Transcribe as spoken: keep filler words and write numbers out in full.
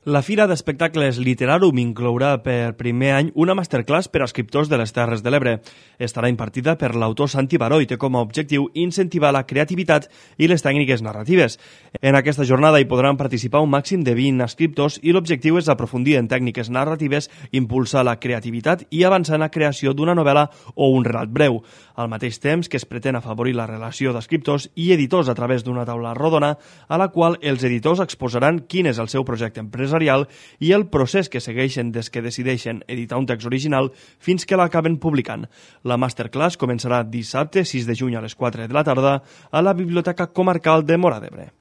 La Fira d'Espectacles Literarum inclourà per primer any una masterclass per a escriptors de les Terres de l'Ebre. Estarà impartida per l'autor Santi Baró i té com a objectiu incentivar la creativitat i les tècniques narratives. En aquesta jornada hi podran participar un màxim de vint escriptors i l'objectiu és aprofundir en tècniques narratives, impulsar la creativitat i avançar en la creació d'una novel·la o un relat breu. Al mateix temps que es pretén afavorir la relació d'escriptors i editors a través d'una taula rodona a la qual els editors exposaran quin és el seu projecte empresarial i el procés que segueixen des que decideixen editar un text original fins que l'acaben publicant. La masterclass començarà dissabte sis de juny a les quatre de la tarda a la Biblioteca Comarcal de Móra d'Ebre.